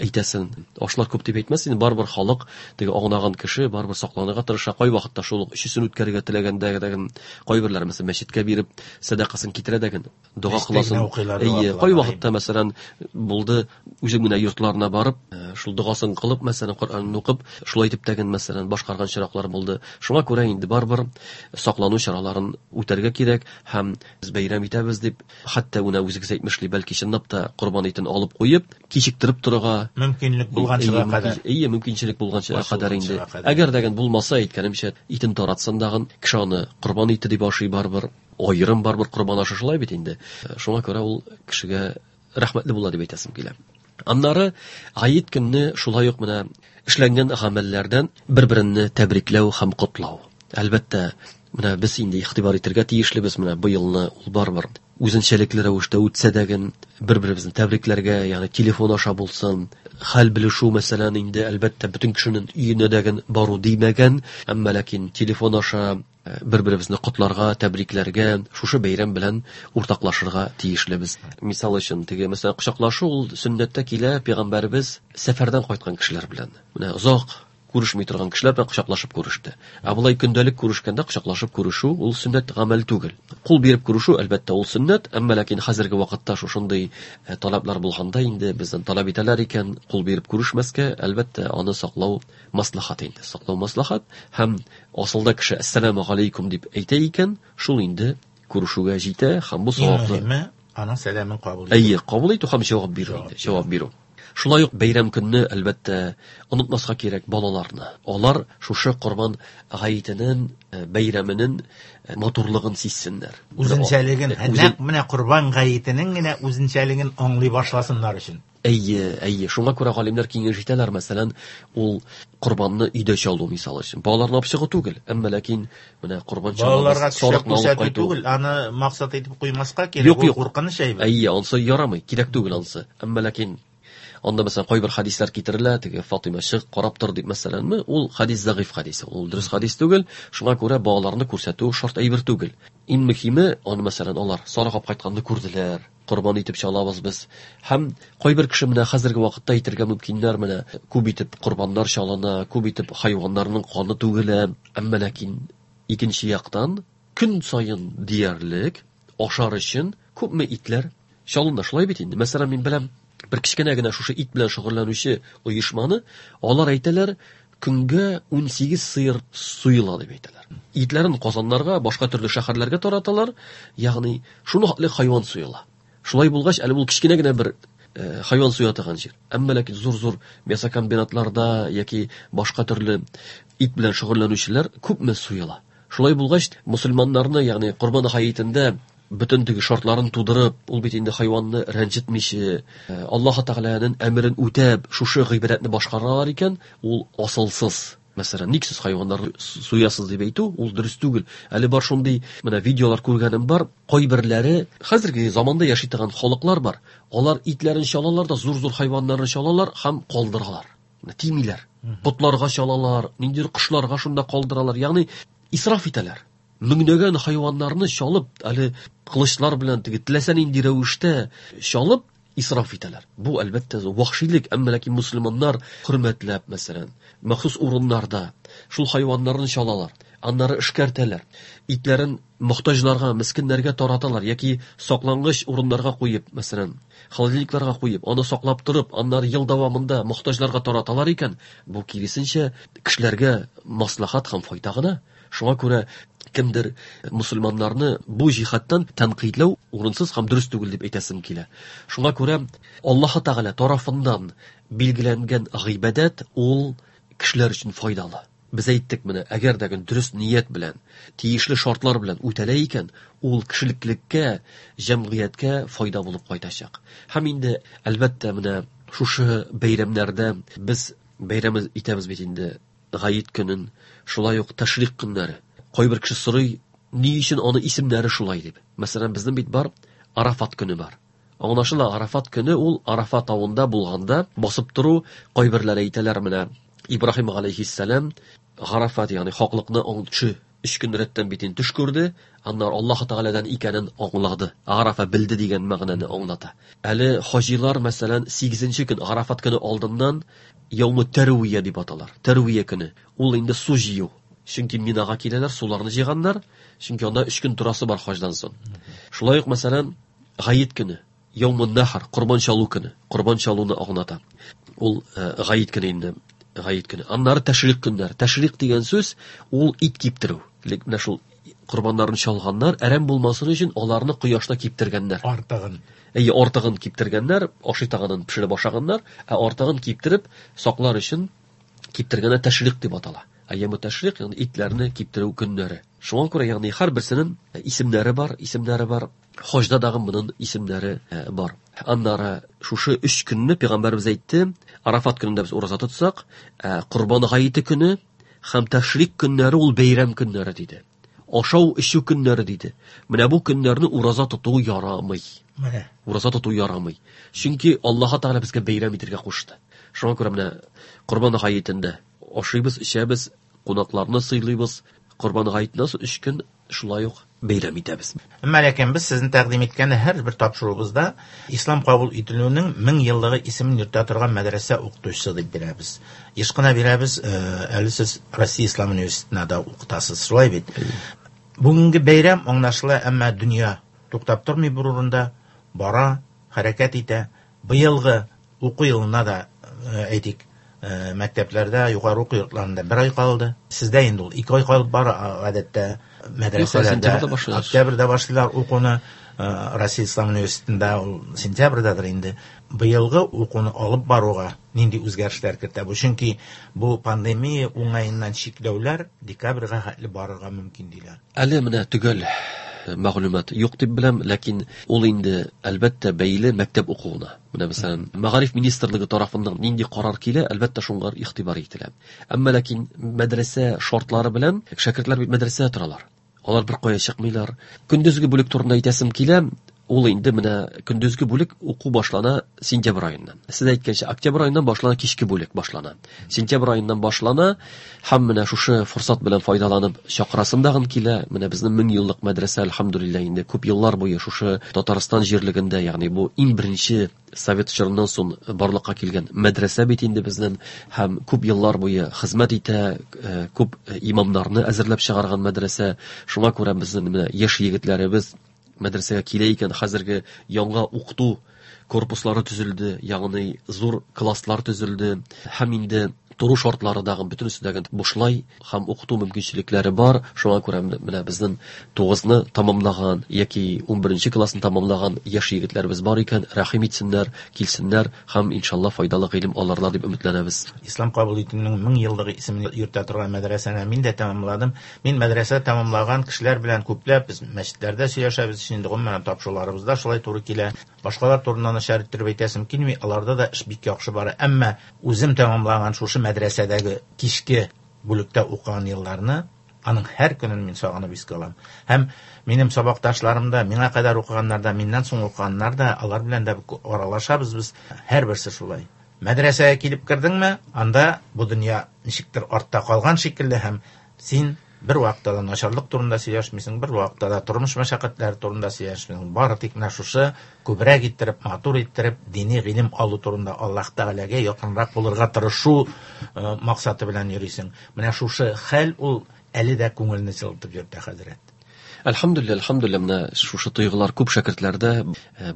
әйтәсен, ашлар күп дип әйтмәс, инде барыбер халык, теге аңлаган кеше барыбер сакланырга тырыша. Кайвакытта шул ук өчесен үткәрергә теләгәндә дәген кайберләр, мәсәлән, мәчеткә биреп сәдакасын китерә дәген, дога кыласын. Әйе, кайвакытта, мәсәлән, булды, үзең генә йортларына барып, шул догасын кылып, мәсәлән, Коръәнне укып, шулай итеп тәген, мәсәлән, башкарган чираклар булды. Шуңа күрә инде барыбер саклану чараларын үтәргә кирәк һәм без бәйрәм итәбез дип, хәтта менә үзегез әйтмешли, бәлки чынлап та корбан итен алып куеп, кичектереп торырга мөмкинлек булганчыга кадәр. Әйе, мөмкинчелек булганчыга кадәр инде. Әгәр дәген булмаса, әйткәнемчә, итен таратсын дагын, кеше аны корбан ите дип ашый барыбер, аерым барыбер корбан ашы шулай бит инде. Шуңа күрә ул кешегә рәхмәтле була дип әйтәсем килә. Аннары гает көнне шулай ук менә эшләнгән гамәлләрдән бер-береңне тәбрикләү һәм котлау. Әлбәттә, менә без инде игътибар итәргә тиешлебез, менә быелны ул барыбер үзенчәлекле рәвештә үтсә дәген бер-беребезне тәбрикләргә, ягъни телефон аша булсын, хәл белешү, мәсәлән, инде әлбәттә бөтен кешенең өенә дәген бару димәгән, әмма ләкин телефон аша бер-беребезне котларга, тәбрикләргә, шушы бәйрәм белән уртаклашырга тиешлебез. Мисал өчен, теге, мәсәлән, кочаклашу ул сөннәттә килә, пәйгамбәребез сәфәрдән кайткан кешеләр белән. Менә озак күрешми торган кешеләр белән кочаклашып күреште. Ә болай көндәлек күрешкәндә кочаклашып күрешү ул сөннәт гамәл түгел. Кул биреп күрешү әлбәттә ул сөннәт, әмма ләкин хәзерге вакытта шушындый таләпләр булганда инде бездән таләп итәләр икән, кул биреп күрешмәскә, әлбәттә аны саклау маслахат инде. Саклау маслахат һәм асылда кеше әссәламу алейкум дип әйтә икән, шул инде күрешүгә җитә һәм бу саваплы. Аның сәламен кабул итү. Әйе, кабул итү һәм җавап бирү инде, җавап бирү. Шулай ук бәйрәм көнне әлбәттә онытмаска кирәк балаларны. Алар шушы Корбан гаетенең, бәйрәменең матурлыгын сизсеннәр. Үзенчәлеген, нәкъ менә Корбан гаетенең генә үзенчәлеген аңлый башласыннар өчен. Әйе, әйе. Шуңа күрә галимнәр киңәш итәләр, мәсәлән, ул корбанны өйдә чалу мисал өчен. Балаларны алып чыгу түгел, әмма ләкин менә корбан чалу сарыкны алып кайту түгел, аны максат итеп куймаска кирәк, ул куркыныч әйбер. Әйе, ансы ярамый, кирәк түгел ансы. Әмма ләкин анда мәсәлән кайбер хадислар китерелә, теге Фатыйма чык карап тор дип мәсәләнме, ул хадис зәгыйф хадис, ул дөрес хадис түгел. Шуңа күрә балаларны күрсәтү шарт әйбер түгел. Иң мөһиме, аны мәсәлән алар сарык алып кайтканны күрделәр, корбан итеп чалабыз без. Һәм кайбер кеше менә хәзерге вакытта әйтергә мөмкиннәр, менә күп итеп корбаннар чалына, күп итеп хайваннарның каны түгелә, әмма ләкин икенче яктан көн саен диярлек ашар өчен күпме итләр чалына, шулай бит инде. Мәсәлән, мин беләм бер кечкенә генә шушы ит белән шөгыльләнүче оешманы, алар әйтәләр, көнгә ун сигез сыер суела дип әйтәләр. Итләрен Казаннарга, башка төрле шәһәрләргә тараталар, ягъни шуны хәтле хайван суела. Шулай булгач, әле ул кечкенә генә бер э, хайван суя торган җир. Әмма ләкин зур-зур мясокомбинатларда яки башка төрле ит белән шөгыльләнүчеләр күпме суела. Шулай булгач, мусульманнарны, ягъни Корбан гаетендә бөтен теге шартларын тудырып, ул бит инде хайванны рәнҗетмичә, Аллаһ Тәгаләнең әмерен үтәп, шушы гыйбадәтне башкаралар икән, ул асылсыз. Мәсәлән, ник сез хайваннарны суясыз дип әйтү, ул дөрес түгел. Әле бар шундый менә видеолар күргәнем бар, кайберләре хәзерге заманда яши торган халыклар бар. Алар итләрен чалалар да, зур-зур хайваннарны чалалар һәм калдыралар. Тимиләр. Ботларга чалалар, ниндидер кошларга шунда калдыралар. Ягъни исраф итәләр. Меңләгән хайваннарны чалып, әле кылычлар белән теге теләсә нинди рәвештә чалып исраф итәләр. Бу әлбәттә вахшилек, әмма ләкин мусульманнар хөрмәтләп, мәсәлән, махсус урыннарда шул хайваннарны чалалар, аннары эшкәртәләр, итләрен мохтаҗларга, мискиннәргә тараталар яки саклангыч урыннарга куеп, мәсәлән, холодильникларга куеп, аны саклап торып, аннары ел дәвамында мохтаҗларга тараталар икән, бу киресенчә кешеләргә маслахат һәм файда гына. Шуңа күрә кемдер мусульманнарны бу җиһаттан тәнкыйтьләү урынсыз һәм дөрес түгел дип әйтәсем килә. Шуңа күрә Аллаһ Тәгалә тарафыннан билгеләнгән гыйбадәт ул кешеләр өчен файдалы. Без әйттек менә, әгәр дә дөрес ният белән, тиешле шартлар белән үтәлә икән, ул кешелеклеккә, җәмгыятькә файда булып кайтачак. Һәм инде әлбәттә менә Шушы бәйрәмнәрдә без бәйрәм итәбез бит инде Гает көнен, шулай ук тәшрик көннәре. Кайбер кеше сорый, ни өчен аны исемнәре шулай дип. Мәсәлән, безнең бит бар Арафат көне бар. Аңлашыла, Арафат көне ул Арафат тавында булганда басып тору, кайберләре әйтәләр менә Ибраһим алейһиссәлам Арафат, ягъни хаклыкны аңчы өч көн рәттән бит инде төш күрде, аннары Аллаһ Тәгаләдән икәнен аңлады. Арафа белде дигән мәгънәне аңлата. Әле хаҗилар, мәсәлән, сигезенче көн Арафат көне алдыннан Яумы Тәрвия дип аталар. Тәрвия көне. Ул инде су җыю. Чөнки Минага киләләр, суларны җыйганнар, чөнки анда өч көн торасы бар хаҗдан соң. Шулай ук, мәсәлән, Гает көне, Яумы Нахар, корбан чалу көне, корбан чалуны аңлата. Ул Гает көне инде, Гает көне. Аннары тәшрик көннәр. Тәшрик дигән сүз ул ит киптерү. Ләкин менә шул корбаннарын чалганнар, әрәм булмасын өчен аларны кояшта киптергәннәр. Артыгын. Әйе, артыгын киптергәннәр, ашый таганын пешереп ашаганнар, ә артыгын киптереп саклар өчен киптергәннәр тәшрик дип атала. Әйе, тәшрик, ягъни итләрне киптерү көннәре. Шуңа күрә, ягъни һәрберсенең исемнәре бар, исемнәре бар. Хаҗда дагы моның исемнәре бар. Аннары шушы өч көнне пәйгамбәребез әйтте, Арафат көнендә без ураза тотсак, Корбан гаете көне һәм тәшрик көннәре ул бәйрәм көннәре диде. Ашау эчү көннәре диде. Менә бу көннәрне ураза тоту ярамый. Менә. Ураза тоту ярамый. Чөнки Аллаһ Тәгалә безгә бәйрәм итәргә кушты. Шуңа күрә менә Корбан гаетендә ашыйбыз, эчәбез, кунакларны сыйлыйбыз. Корбан гаетеннән соң өч көн шулай ук бәйрәм итәбез. Әмма ләкин без сезнең тәкъдим иткән һәрбер тапшыруыбызда ислам кабул ителүенең мең еллыгы исемен йөртә торган мәдрәсә укытучысы дип бирәбез. Еш кына бирәбез, әле сез Россия Ислам университетында да укытасыз, шулай бит? Бүгенге бәйрәм аңлашыла, әмма дөнья туктап тормый бер урында, бара, хәрәкәт итә. Быелгы уку елына да, әйтик, мәктәпләрдә, югары уку йортларында бер ай калды. Сездә инде ул ике ай калып бара, гадәттә мәдрәсәләрдә октябрьдә башлыйлар укуны, Россия Ислам университетында ул сентябрьдәдер инде. Быелгы укуны алып баруга нинди үзгәрешләр кертә бу? Чөнки бу пандемия уңаеннан чикләүләр декабрьгә хәтле барырга мөмкин диләр. Әле менә төгәл мәгълүмат юк дип беләм, ләкин ул инде әлбәттә бәйле мәктәп укуына. Менә мәсәлән, Мәгариф министрлыгы тарафыннан нинди карар килә, әлбәттә шуңа игътибар ителә. Әмма ләкин мәдрәсә шартлары белән шәкертләр бит мәдрәсәдә торалар. Алар бер кая чыкмыйлар. Көндезге бүлек турында әйтәсем килә, ул инде менә көндезге бүлек уку башлана сентябрь аеннан. Сез әйткәнчә, октябрь аеннан башлана кичке бүлек башлана. Сентябрь аеннан башлана һәм менә шушы форсат белән файдаланып чакырасым дагын килә. Менә безнең мең еллык мәдрәсә, әлхәмдүлилләһ, инде күп еллар буе шушы Татарстан җирлегендә, ягъни бу иң беренче совет чорыннан соң барлыкка килгән мәдрәсә бит инде безнең, һәм күп еллар буе хезмәт итә, күп имамнарны әзерләп чыгарган мәдрәсә. Шуңа күрә безнең менә яшь егетләребез мәдрәсәгә килә икән, хәзерге яңа укыту корпуслары төзелде, ягъни зур класслар төзелде, һәм инде тору шартлары дагы бөтенесе дә бушлай һәм укыту мөмкинчелекләре бар. Шуңа күрә менә безнең тугызны тамамлаган яки унберенче классны тамамлаган яшь егетләребез бар икән, рәхим итсеннәр, килсеннәр һәм иншалла файдалы гыйлем алырлар дип өметләнәбез. Ислам кабул итүнең мең еллыгы исемен йөртә торган мәдрәсәне мин дә тәмамладым. Мин мәдрәсә тәмамлаган кешеләр белән күпләп без мәчетләрдә сөйләшәбез, инде гомумән тапшыруларыбызда шулай туры килә. Башкалар турында начар иттереп әйтәсем килми, аларда да эш бик яхшы бара. Әмма үзем тәмамлаган шушы мәдрәсәдәге кичке бүлектә укыган елларны, аның һәр көнен мин сагынып искә алам. Һәм минем сабакташларым да, миңа кадәр укыганнар да, миннән соң укыганнар да, алар белән дә аралашабыз без, һәрберсе шулай. Мәдрәсәгә килеп кердеңме, анда бу дөнья ничектер артта калган шикелле, һәм син бер вакытта да начарлык турында сөйләшмисең, бер вакытта да тормыш мәшәкатьләре турында сөйләшмисең. Бары тик менә шушы күбрәк иттереп, матур иттереп, дини гыйлем алу турында Аллаһ Тәгаләгә якынрак булырга тырышу максаты белән йөрисең. Менә шушы хәл ул әле дә күңелне җылытып йөртә, хәзрәт. Әлхәмдүлилләһ, әлхәмдүлилләһ, менә шушы тойгылар күп шәкертләрдә.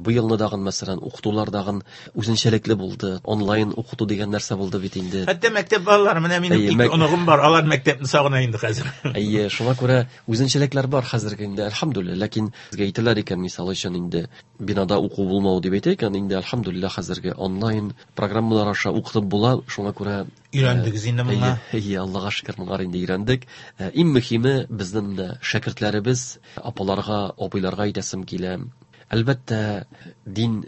Бу елны дагын, мәсәлән, укытулар дагын үзенчәлекле булды. Онлайн укыту дигән нәрсә булды бит инде. Хәтта мәктәп балалары, менә минем ике оныгым бар, алар мәктәпне сагына инде хәзер. Әйе, шуңа күрә үзенчәлекләр бар хәзерге инде, әлхәмдүлилләһ. Ләкин безгә әйтәләр икән, мисал өчен инде бинада уку булмау дип әйтә икән, инде әлхәмдүлилләһ хәзерге онлайн программалар аша укытып була. Шуңа күрә өйрәндегез инде моңа. Әйе, Аллаһка шөкер, моңа инде өйрәндек. Иң мөһиме безнең менә шәкертләребез, апаларга, абыйларга әйтәсем килә. Әлбәттә, дин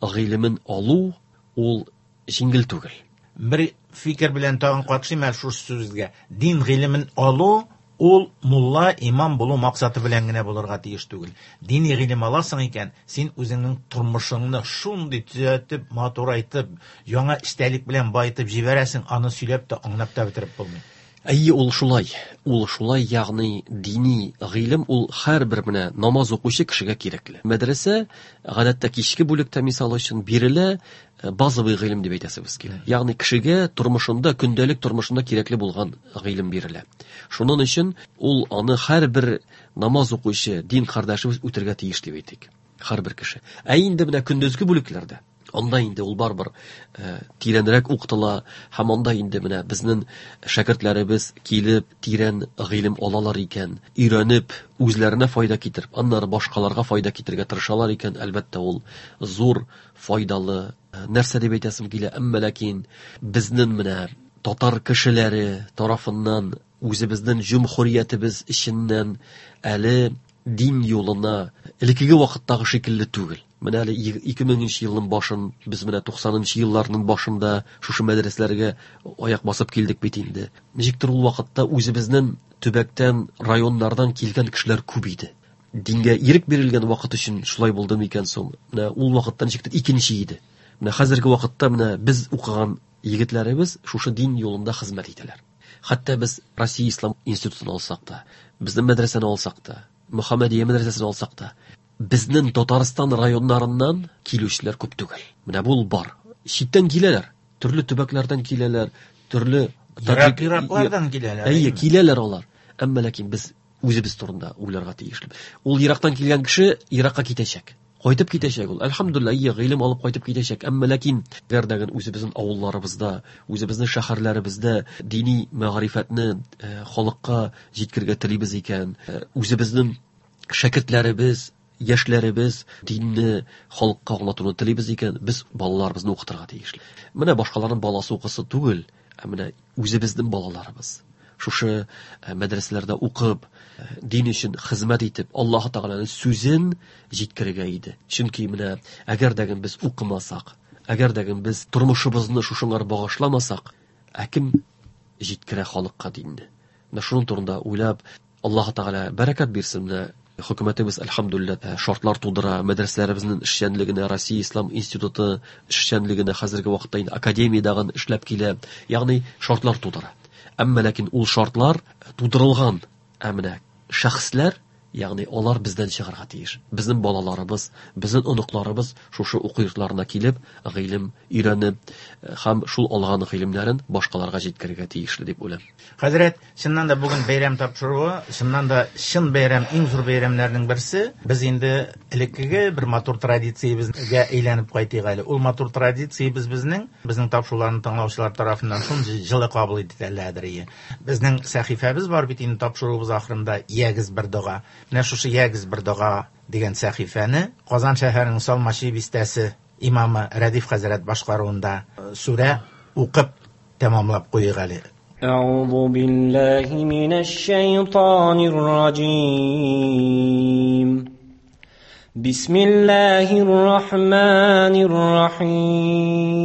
гыйлемен алу ул җиңел түгел. Бер фикер белән тагын катышыйм әле шушы сүзгә. Дин гыйлемен алу ул мулла, имам булу максаты белән генә булырга тиеш түгел. Дини гыйлем аласың икән, син үзеңнең тормышыңны шундый төзәтеп, матурайтып, яңа эчтәлек белән баетып җибәрәсең, аны сөйләп тә, аңлап та бетереп булмый. Әйе, ул шулай. Ул шулай, ягъни дини гыйлем ул һәрбер менә намаз укучы кешегә кирәкле. Мәдрәсә гадәттә кичке бүлектә мисал өчен бирелә, базовый гыйлем дип әйтәсебез килә. Ягъни кешегә тормышында, көндәлек тормышында кирәкле булган гыйлем бирелә. Шуның өчен ул аны һәрбер намаз укучы дин кардәшебез үтергә тиеш дип әйтик. Һәрбер кеше. Ә инде менә көндезге бүлекләрдә анда инде ул барыбер тирәнрәк укытыла һәм анда инде менә безнең шәкертләребез килеп тирән гыйлем алалар икән, өйрәнеп үзләренә файда китереп, аннары башкаларга файда китерергә тырышалар икән, әлбәттә ул зур файдалы нәрсә дип әйтәсем килә. Әмма ләкин безнең менә татар кешеләре тарафыннан үзебезнең җөмһүриятебез эченнән әле дин юлына элеккеге вакыттагы шикелле түгел. Менә әле ике меңенче елның башын, без менә туксанынчы елларның башында шушы мәдрәсәләргә аяк басып килдек бит инде. Ничектер ул вакытта үзебезнең төбәктән, районнардан килгән кешеләр күп иде. Дингә ирек бирелгән вакыт өчен шулай булды микән соң? Менә ул вакытта ничектер икенче иде. Менә хәзерге вакытта менә без укыган егетләребез шушы дин юлында хезмәт итәләр. Хәтта без Россия Ислам институтын алсак та, безнең мәдрәсәне алсак та, Мөхәммәдия мәдрәсәсен алсак та, безнең Татарстан районнарыннан килүчеләр күп түгел. Менә бу бар. Читтән киләләр, төрле төбәкләрдән киләләр, төрле Ерак-ераклардан киләләр. Әйе, киләләр алар. Әмма ләкин без үзебез турында уйларга тиешле. Ул ерактан килгән кеше еракка китәчәк. Кайтып китәчәк ул. Әлхәмдүлилләһ, әйе, гыйлем алып кайтып китәчәк. Әмма ләкин әгәр дә үзебезнең авылларыбызда, үзебезнең шәһәрләребездә дини мәгърифәтне халыкка җиткерергә телибез икән, үзебезнең шәкертләребез, яшьләребез динне халыкка аңлатуны телибез икән, без балаларыбызны укытырга тиешле. Менә башкаларның баласы укысы түгел, ә менә үзебезнең балаларыбыз шушы мәдрәсәләрдә укып, дин өчен хезмәт итеп, Аллаһ Тәгаләнең сүзен җиткерергә иде. Чөнки менә әгәр дә без укымасак, әгәр дә без тормышыбызны шушыңар багышламасак, ә кем җиткерә халыкка динне? Менә шуның турында уйлап, Аллаһ Тәгалә бәрәкәт бирсен. Менә хөкүмәтебез әлхәмдүлилләһ шартлар тудыра, мәдрәсәләребезнең эшчәнлегенә, Россия Ислам институты эшчәнлегенә хәзерге вакытта инде академиядагы эшләп килә, ягъни шартлар тудыра. Әмма ләкин ул шартлар тудырылган, ә менә шәхесләр, ягъни алар бездән чыгарга тиеш. Безнең балаларыбыз, безнең оныкларыбыз шушы уку йортларына килеп, гыйлем өйрәнеп һәм шул алган гыйлемнәрен башкаларга җиткерергә тиешле дип уйлыйм. Хәзрәт, чыннан да бүген бәйрәм тапшыруы, чыннан да чын бәйрәм, иң зур бәйрәмнәрнең берсе. Без инде элеккеге бер матур традициябезгә әйләнеп кайтыйк әле. Ул матур традициябез безнең, безнең тапшыруларны тыңлаучылар тарафыннан шундый җылы кабул ителәдер. Безнең сәхифәбез бар бит инде тапшыруыбыз ахырында Ягез бер дога. Менә шушы Ягез бер дога дигән сәхифәне Казан шәһәренең Салмачи бистәсе имамы Рәдиф хәзрәт башкаруында сүрә укып тәмамлап куйыйк әле. Әгъузу биллаһи минәш шайтанир раҗим. Бисмиллаһир рахманир рахим.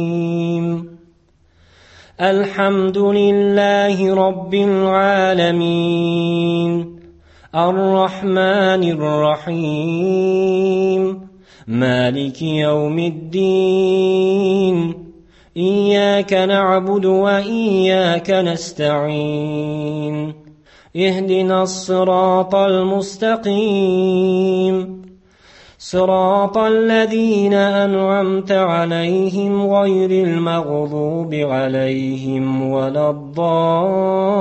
Әлхәмдүлиллаһи раббил аламин. الرحمن الرحيم مالك يوم الدين إياك نعبد وإياك نستعين اهدنا الصراط المستقيم صراط الذين أنعمت عليهم غير المغضوب عليهم ولا الضالين.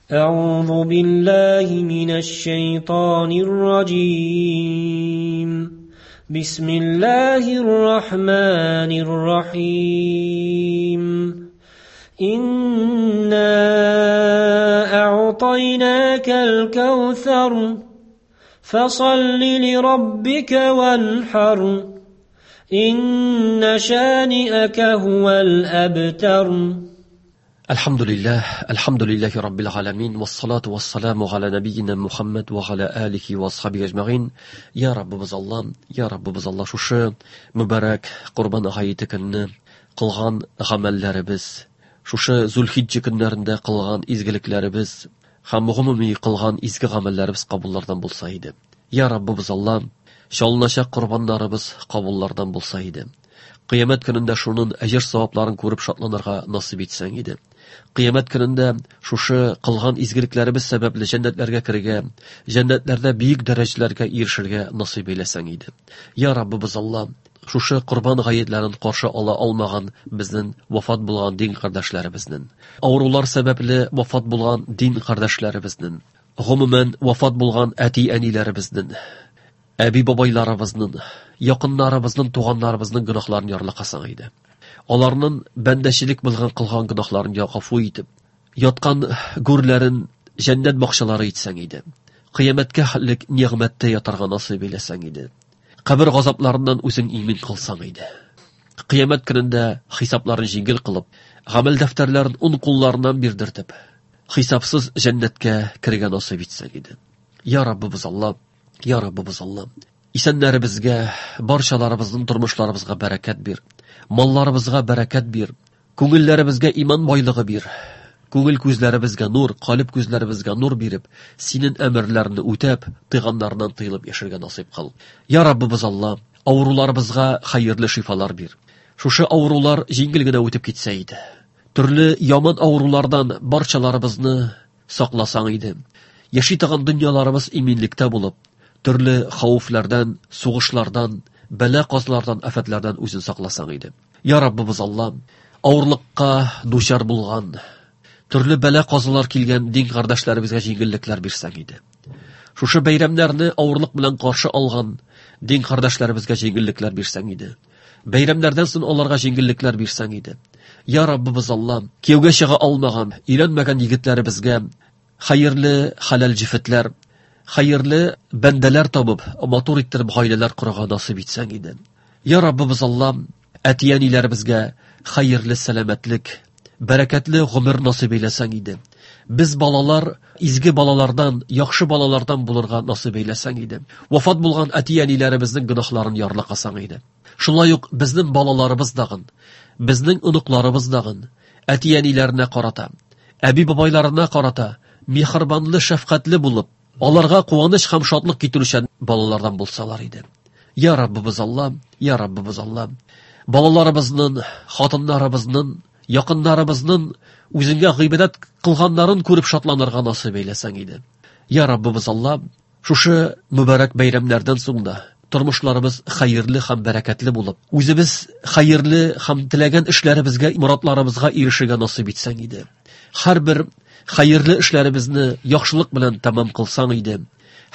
أعوذ بالله من الشيطان الرجيم. بسم الله الرحمن الرحيم. إنا أعطيناك الكوثر فصل لربك وانحر إن شانئك هو الأبتر. Alhamdulillah, alhamdulillahi rabbil alamin, vassalatu vassalamu ala nabiyyina Muhammad va ala alihi va ashabihi ajma'in. Ya Rabbimiz Alloh, ya Rabbimiz Alloh, shushi muborak Qurbon hayiti kunini qilgan amallarimiz, shushi Zulhijja kunlarida qilgan izgiliklarimiz ham umumiy qilgan izgi amallarimiz qabullardan bo'lsa edi. Ya Rabbimiz Alloh, sholnashaq qurbonlarimiz qabullardan bo'lsa edi. Qiyomat kunida shuning ajr savoblarini ko'rib shodlanirga nasib etsang edi. Qiyomat kunida shushi qilgan izgiliklarimiz sababli jannatlarga kirga, jannatlarda buyuk darajalarga erishirga nasib eylasang edi. Ya Rabbimiz Alloh, shushi qurbon g'ayitlarini qarshi ola olmagan bizning vafot bo'lgan din qardoshlarimizning, og'riqlar sababli vafot bo'lgan din qardoshlarimizning, umuman vafot bo'lgan ati-anilarimizning, abi boboylarimizning, yaqinlarimizning, tug'anlarimizning gunohlarini yorliqasang edi. Ularning bandashilik bilgan qilgan gunohlarini g'afu etib, yotgan go'rlarin jannat bog'chalari etsang edi. Qiyomatga halik ne'matda yotarga nasib eylasang edi. Qabr g'azoblaridan o'zing imin qilsang edi. Qiyomat kunida hisoblarini yengil qilib, amal daftarlarini o'ng qo'llaridan berdirtib, hisobsiz jannatga kirgan nasib etsang edi. Ya Rabbimiz Alloh, Ya Rabbimiz Alloh, isanlarimizga, barchalarimizning turmushlarimizga barakat ber, mollarimizga barakat ber, ko'ngillarimizga iymon boyligi ber, ko'ngil ko'zlarimizga nur, qalb ko'zlarimizga nur berib, sening amrlaringni o'tab, tiyganlardan tiyilib yasharga nasib qil. Ya Rabbimiz Alloh, og'riqlarimizga xayrli shifolar ber. Shusha og'riqlar yengilgina o'tib ketsa edi. Turli yomon og'riqlardan barchalarimizni saqlasang edi. Yashaydigan dunyolarimiz eminlikda bo'lib, turli xavflardan, so'g'ishlardan, balo qazlardan, afatlardan o'zini saqlasang edi. Ya Rabbimiz Alloh, og'irlikqa duchor bo'lgan, turli balo qazolar kelgan din qardoshlarimizga yengilliklar bersang edi. Shusha bayramlarni og'irlik bilan qarshi olgan din qardoshlarimizga yengilliklar bersang edi. Bayramlardan so'ng ularga yengilliklar bersang edi. Ya Rabbimiz Alloh, kuyovga chiqa olmagan, uylanmagan yigitlarimizga xayrli halal jifitlar, xayrli bandalar topib, motor ettirib oilalar qurg'a nasib etsang edi. Ya Rabbimiz Alloh, ati-anilarimizga xayrli salomatlik, barakatli g'umr nasib eylasang edi. Biz bolalar izgi bolalardan, yaxshi bolalardan bo'lirga nasib eylasang edi. Vafot bo'lgan ati-anilarimizning gunohlarini yorliqasang edi. Shunday yo'q bizning bolalarimiz dag'in, bizning unuqlarimiz dag'in ati-anilarina qarata, abi boboylarina qarata mehribonli, shafqatli bo'lib, ularga quvonish ham shodlik keltiruvchi bolalardan bo'lsalar edi. Ya Rabbimiz Alloh, ya Rabbimiz Alloh, bolalarimizning, xotinlarimizning, yaqinlarimizning o'zingga g'ibodat qilganlarini ko'rib shodlanirga nasib eylasang edi. Ya Rabbimiz Alloh, shushi muborak bayramlardan so'ngda turmushlarimiz xayrli ham barakatli bo'lib, o'zimiz xayrli ham tilagan ishlarimizga, murodlarimizga erishishga nasib etsang edi. Har bir xayrli ishlarimizni yaxshilik bilan tamom qilsang edi.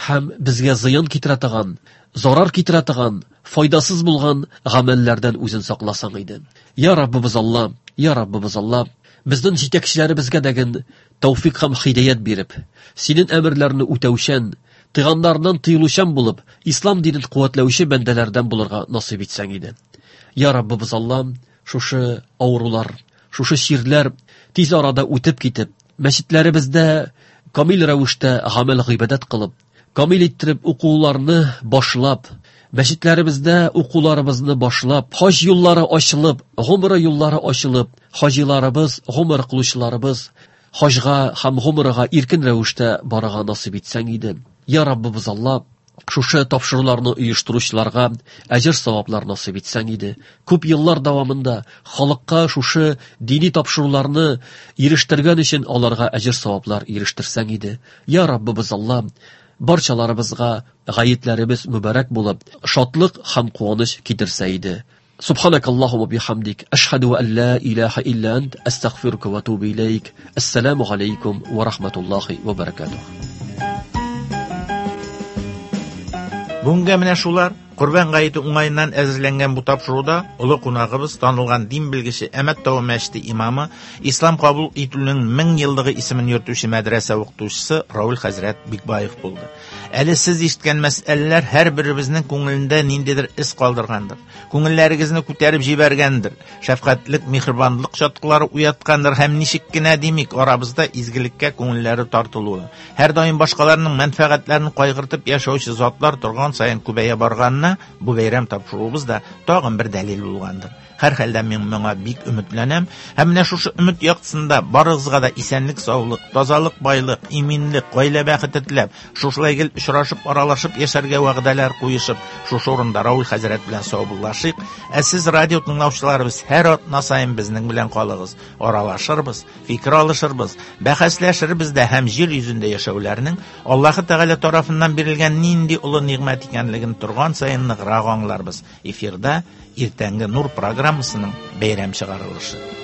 Ham bizga ziyon keltiradigan, zarar keltiradigan, foydasiz bo'lgan amallardan o'zing saqlasang edi. Ya Rabbimiz Alloh, ya Rabbimiz Alloh, bizning yetakchilarimizga dagin tavfiq ham hidoyat berib, sening amrlaringni o'tavshan, tiyganlardan tiyiluvchan bo'lib, islom dinini quvvatlovchi bandalardan bo'lirga nasib etsang edi. Ya Rabbimiz Alloh, shushi og'riqlar, shushi shirlar tez orada o'tib ketib, masjidlarimizda komil ravishda amal g'ibodat qilib, komil ettirib o'quvlarni boshlab, masjidlarimizda o'quvlarimizni boshlab, hoj yo'llari ochilib, g'umra yo'llari ochilib, hojilarimiz, g'umr qiluvchilarimiz hojga ham g'umraga erkin ravishda borig'a nasib etsang edi. Ya Rabbimiz Alloh, shusha topshiriqlarni uyushtiruvchilarga ajr savoblar nasib etsang edi. Ko'p yillar davomida xalqqa shusha diniy topshiriqlarni erishtirgan uchun ularga ajr savoblar erishtirsang edi. Ya Rabbimiz Alloh, barchalarimizga g'ayitlarimiz muborak bo'lib, shodlik ham quvonish keltirsa edi. Subhanakallahumma bihamdik, ashhadu an la ilaha illa ant, astag'firuka va atubu ilayk. Assalomu alaykum va rahmatullohi va barakatuh. Bunga менә шулар Корбан гаете уңаеннан әзерләнгән бу тапшыруда олы кунагыбыз танылган дин белгече Әмәт тавы мәчете имамы, ислам кабул итүнең мең еллыгы исемен йөртүче мәдрәсә укытучысы Рауль хәзрәт Бикбаев булды. Әле сез ишеткән мәсьәләләр һәрберебезнең күңелендә ниндидер эз калдыргандыр. Күңелләрегезне күтәреп җибәргәндер. Шәфкатьлек, миһербанлык чаткылары уяткандыр һәм ничек кенә димик, арабызда изгелеккә күңелләре тартылуы, һәр даим башкаларның мәнфәгатьләрен кайгыртып яшәүче затлар торган саен күбәя барганына бу бәйрәм тапшыруыбыз да тагын бер дәлил булгандыр. Һәр хәлдә мин моңа бик өметләнәм һәм менә шушы өмет яктысында барыгызга да исәнлек, саулык, тазалык, байлык, иминлек, гаилә бәхете теләп, шушылай гел очрашып, аралашып яшәргә вәгъдәләр куешып, шушы урында Рауль хәзрәт белән саубуллашыйк. Ә сез радио тыңлаучыларыбыз һәр атна саен безнең белән калыгыз, аралашырбыз, фикер алышырбыз, бәхәсләшербез дә һәм җир йөзендә яшәүләрнең Аллаһы Тәгалә тарафыннан бирелгән нинди олы нигъмәт икәнлеген торган саен ныграк аңларбыз. Эфирда Иртәнге Нур программасының бәйрәм чыгарылышы.